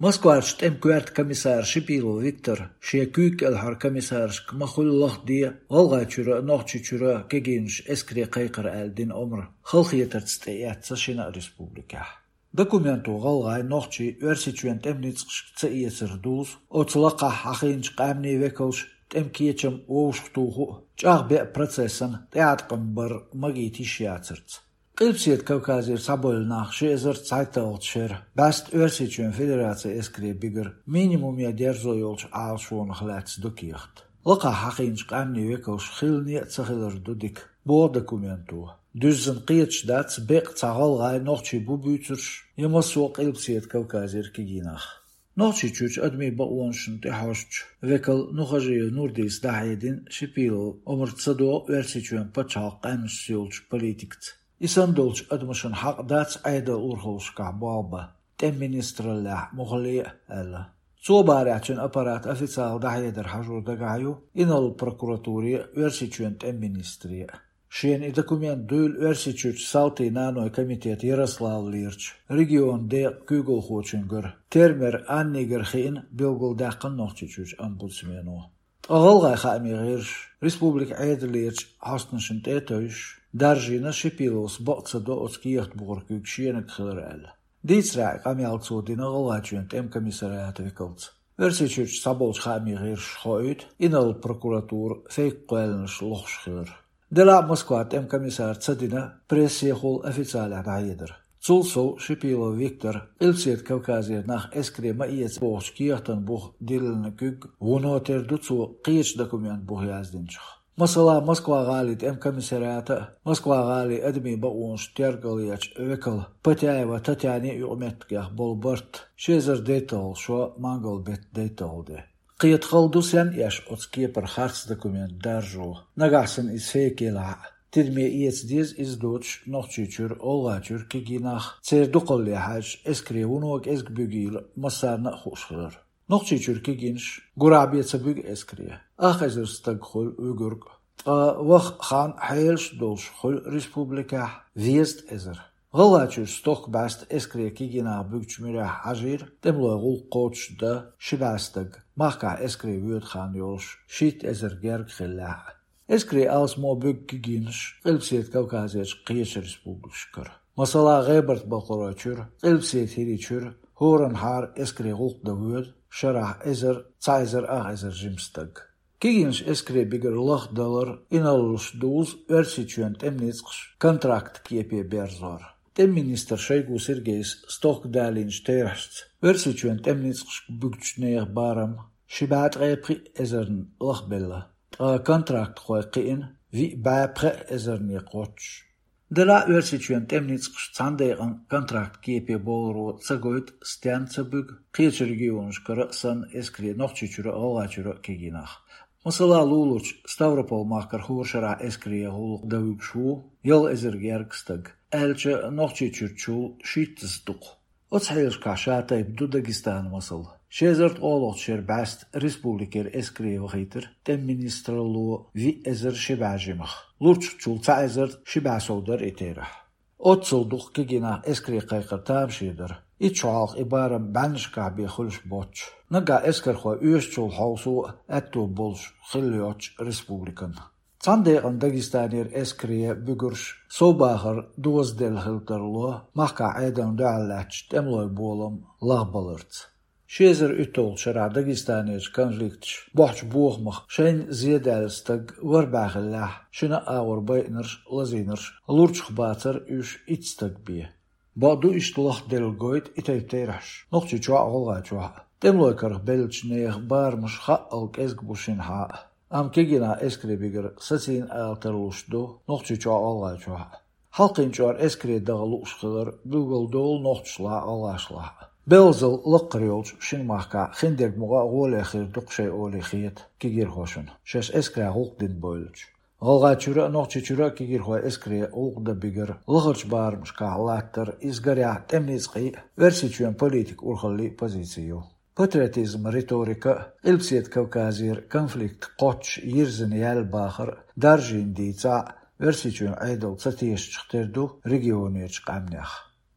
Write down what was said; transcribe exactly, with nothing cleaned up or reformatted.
Москварчу тӀеман коьрта комиссара Шипилов Виктора шен куьйга кӀелхьара комиссаршка ма-хуьллу лахде, ГӀалгӀайчуьра а, Нохчийчуьра а кегийнаш эскаре кхайкхар аьлла дина омра халахетарца тӀеэцна шина а республикехь. Документо гӀалгӀай, нохчий Оьрсийчоьнан тӀеман ницкъашка ца эцар дузу, оцу лакхахь хьахийначу къаьмнийн векалша тӀеман кечам вовшахтуху а, чӀагӀбеа процессана тӀеӀаткъам бар магийта йиш яцарца. Къилбаседа Кавказера схьабевлла нах ши эзар цхьайтталгӀачу шеран бӀаьста Оьрсийчоьнан Федерацин эскаре бигар минимуме дерзо йолчу Ӏалашонах лаьцна ду кехат. Лакхахь хьахийначу къаьмнийн векалша хилла а ца хилар ду дика, боху документо. Дуьззина кхеташ дац, беккъа цхьа гӀалгӀай, нохчий бу буьйцурш я массо а Къилбаседа Кавказера кегий нах. Нохчийчуьрчу адамийн бакъонашна тӀехьожучу векал Нухажиев Нурдис дӀахьедина, Шипилов омра ца догӀу Оьрсийчоьнан пачхьалкхан къаьмнашца йолчу политикаца. И санна долчу адамашна хьакъ дац Ӏедалан урхаллашкахь болх бан, тӀеман министраллехь муххале а, аьлла. Цо барехь, цуьнан аппарата официалан дӀахьедар хьажо дагахь ю инарла прокуратуре а, Оьрсийчоьнан тӀеман министре а. Шена и документ дуйла Оьрсийчуьрчу салтийн нанойн комитетан Ярославлерчу регионан декъан куьйгалхочуьнгара Термер Аннигара хиъна, билгалдаьккхина Нохчийчуьрчу омбудсмено. Ткъа гӀалгӀайн хаамийн гӀирсаша, республикан Ӏедалерчу хьостанашна тӀе а тевжаш, даржийна Шипиловс бакъ ца до оцу кехат бухара куьг шениг хилар аьлла. Дийцарехь, и къамел цо дина ГӀалгӀайчоьнан тӀеман комиссариатан векалца. Оьрсийчуьрчу цхьаболчу хаамийн гӀирсаша хоуьйту инарла прокуратура фейк кхоьллинарш лохуш хилар. Делахь а Москван тӀеман комиссара ца дина прессехула официалехь дӀахьедар. Цул сов, Шипилов Виктора Къилбаседа Кавказера нах эскаре ма эца бохучу кехатан буха диллина куьг вуно тера ду цо кхечу документан буха яздинчух. Масала, Москва-гӀалин тӀеман комиссариатан а, Москва-гӀалин адамийн бакъонаш тергалъечу векалан Потяева Татьянин а юкъаметтигех болу барт ши эзар дейтталгӀа шо, мангал беттан дейтталгӀа де. Кхета хала ду, сенна эш оцу кепара харц документ даржо, нагахь санна иза фейк елахь а. Тидаме эца деза иза доцуш Нохчийчуьра, ГӀалгӀайчуьра кегий нах, церан дукхалле хьаьжча, эскаре вуно кӀезиг буьгийла массарна а хууш хилар. Нохчийчуьра кегийнаш гурахь бен ца буьгу эскаре. Ах эзар стаг хуьлу вуьгург а. Ткъа ваха хан хьелаш а долуш хуьлу республикехь везткъа эзар. ГӀалгӀайчуьра стохка бӀаьста эскаре кегий нах буьгучу муьрехь хьажийра тӀемалойн гӀуллакх кхочушдан ши бӀе стаг, махкахь эскаре воьду хан йолуш шийтта эзар герга хиллехь а. Эскаре алсамо буьгу кегийнаш Къилбаседа Кавказерчу кхечу республикашкара. Масала, ГӀебарта-Балкхаройчуьра, Къилбаседа ХӀирийчуьра хӀоранхьара эскаре гӀуллакх дан воьду шарахь эзар, цхьа эзар ах эзар жима стаг. Кегийнаш эскаре бигар лахдалар инарлаш дузу Оьрсийчоьнан тӀеман ницкъаш контракт кепе берзор. ТӀеман министр Шойгу Сергейс стохка далийначу терахьашца, Оьрсийчоьнан тӀеман ницкъашка буьгучу нехан барам ши бӀе ткъе пхиъ эзарна лахбелла, ткъа контрактхой кхиъна виъ бӀе пхеа эзарне кхоччуш. Делахь а Оьрсийчоьнан тӀеман ницкъаш цхьана декъана контракт кепе болоро ца гойту, стенна ца буьгу кхечу регионашкара а санна эскаре Нохчийчуьра а, ГӀалгӀайчуьра а кегий нах. Масала, луларчу Ставрополь-махкара хӀора шарахь эскаре гӀуллакх дан вуьгуш ву ялх эзар герга стаг, аьлча, Нохчийчуьрчул шийттазза дукха. Оцу хьелашкахь шатайпа ду Дагестанан масал. Ши эзар ткъолгӀачу шеран бӀаьста республикера эскаре вахийтира тӀеман министралло виъ эзар ши бӀе жимах. Лурчахчул цхьа эзар ши бӀе сов дара и терахь. Оццул дукха кегий нах эскаре кхайкхар тамаше дара. Итт шо хьалха и барам бӀеннашкахь бен хуьлуш боццуш. Наггахь эскархой оьшучул хьовсо а аьтто болуш хилла йоцчу республикан. Цхьана декъана Дагестанера эскаре буьгурш совбахар дозаделла хила тарло махкахь Ӏедална дуьхьал лаьттачу тӀемалойн болам лахбаларца. Ши эзар уьтталгӀачу шарахь Дагестанерчу конфликташа бохьучу бохамах шайна зедаьлла стаг вара бӀаьхиллехь, шина а агӀор байинарш а, лазийнарш а, лурчах бацара уьш итт стаг бен. Бакъду, иштта лахделла гойту и тайпа терахьаш Нохчийчохь а, ГӀалгӀайчохь а. ТӀемалойн карах беллачу нехан барамаш хаъал кӀезиг бу шинхьа а. Амма кегий нах эскаре бигар сацийна ала тарлуш ду Нохчийчохь а, ГӀалгӀайчохь а. Хьалкхин чкъор эскаре даха лууш хилар билгалдолу нохчашлахь а, гӀалгӀашлахь а. Белхазалла лакхара йолчу шина махкахь хиндерг мукъа а гӀоле хир ду-кх шайн олий хета кегийрхошна, шаьш эскарехь гӀуллакх дина бевллачу. ГӀалгӀайчуьра а, Нохчийчуьра а кегийрхой эскаре гӀуллакх дан бигар лахарчу барамашкахь латтар, иза, гарехь, тӀеман ницкъийн а, Оьрсийчоьнан политикан урхаллин а позици ю. Патриотизман риторика а, Къилбаседа Кавказера конфликт кхоччуш йирзина яьлла бахар а даржийна дийцахь а, Оьрсийчоьнан Ӏедал ца тешачух тера ду регионерчу къаьмнех.